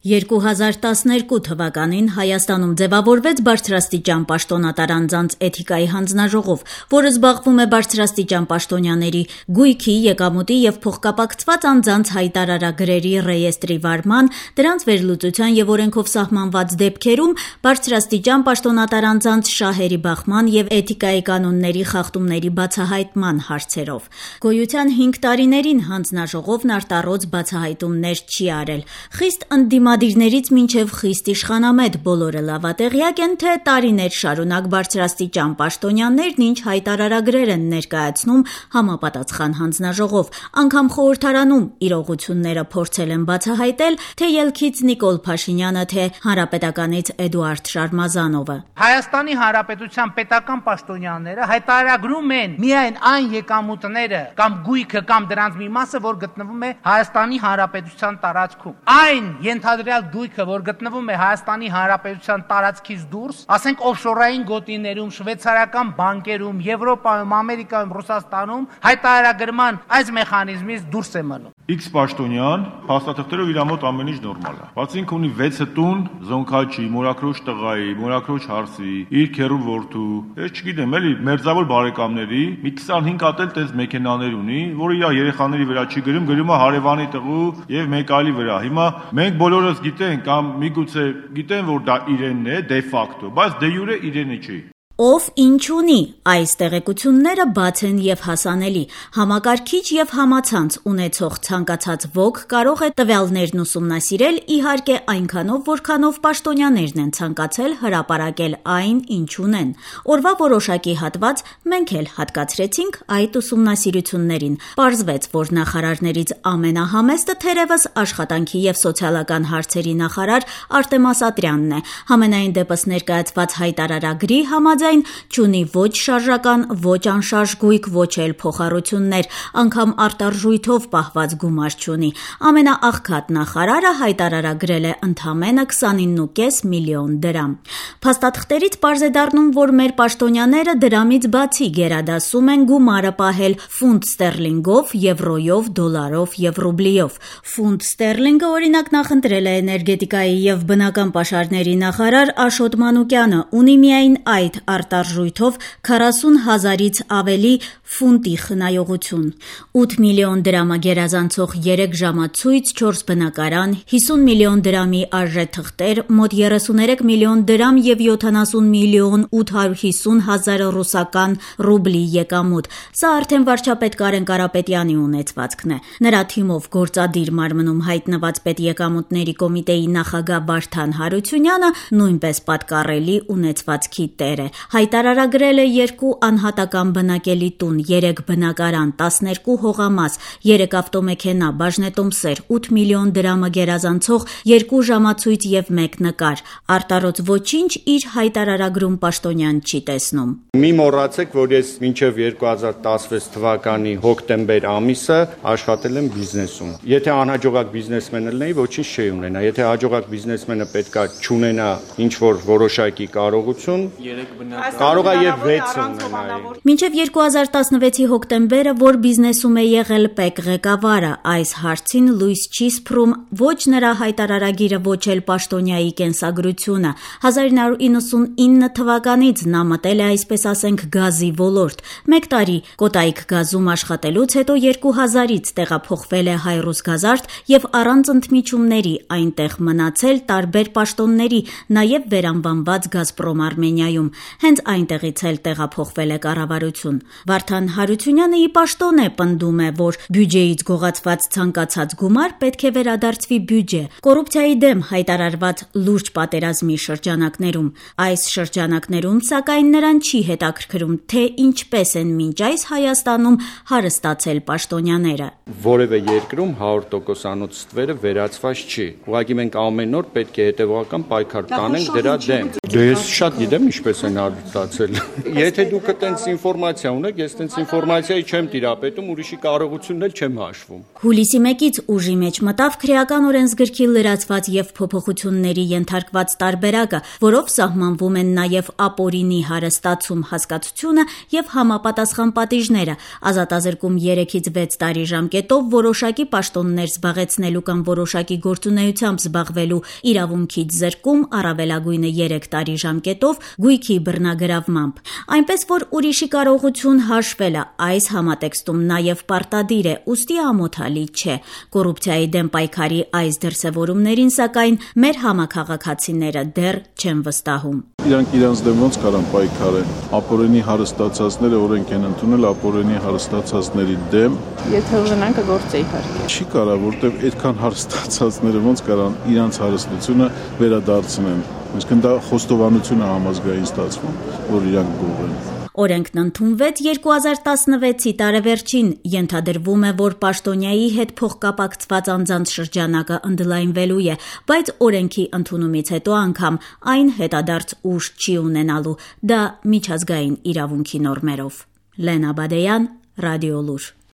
2012 թվականին Հայաստանում ձևավորվեց բարձրաստիճան պաշտոնատար անձանց էթիկայի հանձնաժողով, որը զբաղվում է բարձրաստիճան պաշտոնյաների, գույքի, եկամուտի և փոխկապակցված անձանց հայտարարագրերի ռեեստրի վարման, դրանց վերլուծության և օրենքով սահմանված դեպքերում բարձրաստիճան պաշտոնատար անձանց շահերի բախման և էթիկայի կանոնների խախտումների բացահայտման հարցերով։ Գոյության 5 տարիներին հանձնաժողովն արտառոց բացահայտումներ չի արել։ Խիստ ընդդիմադիրներից մինչև խիստ իշխանամետ բոլորը լավատեղյակ են, թե տարիներ շարունակ բարձրաստիճան պաշտոնյաներն ինչ հայտարարագրեր են ներկայացնում համապատասխան հանձնաժողով, անգամ խորհրդարանում իրողությունները փորձել են բացահայտել թե ելքից Նիկոլ Փաշինյանը, թե Հանրապետականից Էդուարդ Շարմազանովը։ Հայաստանի Հանրապետության պետական պաշտոնյաները հայտարարագրում են միայն այն եկամուտները կամ գույքը կամ դրանց մի մասը, որ գտնվում է Հայաստանի Հանրապետության տարածքում։ Այն ենթադրյալ գույքը, որ գտնվում է Հայաստանի Հանրապետության տարածքից դուրս, ասենք օֆշորային գոտիներում, շվեյցարական բանկերում, Եվրոպայում, Ամերիկայում, Ռուսաստանում, հայտարարագրման այս մեխանիզմից դուրս է մնում։ X պաշտոնյան փաստաթղթերով իր մոտ ամեն ինչ նորմալ է։ Բացի ինքը ունի 6 տուն, Զոնքաչի, Մորաքրոջ տղայի, Մորաքրոջ հարսի, իր քեռու որդու, ես չգիտեմ, էլի մերձավոր բարեկամների մի 25 հատ էլ տես մեքենաներ ունի, որը իր երեխաների վրա չի գրում է հարևանի տղու եւ մեկ այլի վրա։ Հիմա մենք բոլորս գիտենք կամ միգուցե գիտեն, որ դա իրենն է դե ֆակտո, բայց դե յուրե իրենը չի։ Ով ինչ ունի, այս տեղեկությունները բաց են և հասանելի։ Համակարգիչ և համացանց ունեցող ցանկացած ոք կարող է տվյալներն ուսումնասիրել, իհարկե այնքանով, որքանով պաշտոնյաներն են ցանկացել հրապարակել այն, ինչ ունեն։ Օրվա որոշակի հատված մենք էլ հատկացրեցինք այդ ուսումնասիրություններին։ Պարզվեց, որ նախարարներից ամենահամեստը թերևս աշխատանքի և սոցիալական հարցերի նախարար Արտեմ Ասատրյանն է։ Համենայն դեպս ներկայացված հայտարարագրի համաձայն չունի ոչ շարժական, ոչ անշարժ գույք, ոչ էլ փոխառություններ, անգամ արտարժույթով պահված գումար չունի։ Ամենաաղքատ նախարարը հայտարարագրել է ընդամենը 29.5 միլիոն դրամ։ Փաստաթղթերից պարզ է դառնում, որ մեր պաշտոնյաները դրամից բացի գերադասում են գումարը պահել ֆունտ ստերլինգով, եվրոյով, դոլարով և ռուբլիով։ Ֆունտ ստերլինգը օրինակ նախընտրել է էներգետիկայի և բնական պաշարների նախարար Աշոտ Մանուկյանը, ունի միայն այդ արտարժույթով 40,000-ից ավելի ֆունտի խնայողություն։ 8 միլիոն դրամը գերազանցող 3 ժամացույց, 4 բնակարան, 50 միլիոն դրամի արժե թղթեր, մոտ 33 միլիոն դրամ և 70 միլիոն 850 հազար ռուսական ռուբլի եկամուտ։ Սա արդեն վարչապետ Կարեն Կարապետյանի ունեցվածքն է։ Նրա թիմով գործադիր մարմնում հայտնված պետեկամուտների կոմիտեի նախագահ Վարդան Հարությունյանը նույնպես պատկառելի ունեցվածքի տեր է։ Հայտարարագրել է 2 անհատական բնակելի տուն, 3 բնակարան, 12 հողամաս, 3 ավտոմեքենա, բաժնետոմսեր, 8 միլիոն դրամը գերազանցող 2 ժամացույց և 1 նկար։ Արտառոց ոչինչ իր հայտարարագրում պաշտոնյան չի տեսնում։ Մի մոռացեք, որ ես մինչև 2016 թվականի հոկտեմբեր ամիսը աշխատել եմ բիզնեսում։ Եթե անհաջողակ բիզնեսմեն լինեի, ոչինչ չի ունենա։ Եթե հաջողակ բիզնեսմենը պետքա չունենա ինչ-որ որոշակի կարողություն, կարող է եւ 6 ունենայի։ Մինչև 2016-ի հոկտեմբերը, որ բիզնեսում է եղել ՊԵԿ ղեկավարը, այս հարցին լույս չի սփռում ոչ նրա հայտարարագիրը, ոչ էլ պաշտոնյայի կենսագրությունը։ 1999 թվականից նա մտել է, այսպես ասենք, գազի ոլորտ։ 1 տարի Կոտայք գազում աշխատելուց հետո 2000-ից տեղափոխվել է Հայրուսգազարդ եւ առանց ընդմիջումների այնտեղ մնացել տարբեր պաշտոնների, նաեւ վերանվանված Գազպրոմ Արմենիայում։ Հենց այնտեղից էլ տեղափոխվել է կառավարություն։ Վարդան Հարությունյանը ի պաշտոն է պնդում է, որ բյուջեից գողացված ցանկացած գումար պետք է վերադարձվի բյուջե։ Կոռուպցիայի դեմ հայտարարված լուրջ պատերազմի շրջանակներում։ Այս շրջանակներում, սակայն, նրան չի հետաքրքրում, թե ինչպես են մինչ այս Հայաստանում հարստացել պաշտոնյաները։ Որևէ երկրում 100%-անոց ստվերը վերացված չի։ Ուղղակի մենք ամեն օր պետք է հետևողական պայքար տանենք դրա դեմ։ Դե ես շատ գիտեմ ինչպես են արվում։ ստացել։ Եթե դուք այտենց ինֆորմացիա ունեք, ես այտենց ինֆորմացիայի չեմ տիրապետում, ուրիշի կարողությունն էլ չեմ հաշվում։ Հուլիսի 1-ից ուժի մեջ մտավ քրեական օրենսգրքի լրացված եւ փոփոխությունների ենթարկված տարբերակը, որով սահմանվում են նաեւ ապօրինի հարստացում հասկացությունը եւ համապատասխան պատիժները, ազատազրկում 3-ից 6 տարի ժամկետով որոշակի պաշտոններ զբաղեցնելու կամ որոշակի գործունեությամբ զբաղվելու իրավունքից զրկում, առավելագույնը 3 տարի ժամկետով գույքի բռնագրավմամբ։ Այնպես որ ուրիշի կարողություն հաշվելը այս համատեքստում նաեւ պարտադիր է, ուստի ամոթալի չէ։ Կոռուպցիայի դեմ պայքարի այս դրսևորումներին, սակայն, մեր համաքաղաքացիները դեռ չեն վստահում։ Իրանք իրանց դեմ ոնց կարան պայքարեն։ Ապօրինի հարստացածները օրենք են ընդունել ապօրինի հարստացածների դեմ։ Եթե ուզենան կգործե իհարկե։ Չի կարա, որտեվ այդքան հարստացածները ոնց կարան իրանց հարստությունը վերադարձնեն։ Այսինքն դա խոստովանություն է համազգային ստացվում, որ իրանք գողեն։ Օրենքն ընդունվեց 2016-ի տարեվերջին, ենթադրվում է, որ պաշտոնյայի հետ փոխկապակցված անձանց շրջանակը ընդլայնվելու է, բայց օրենքի ընդունումից հետո անգամ այն հետադարձ ուժ չի ունենալու, դա միջազգային իրավունքի նորմերով։ Լենա Բադեյան, Ռադիոլուր։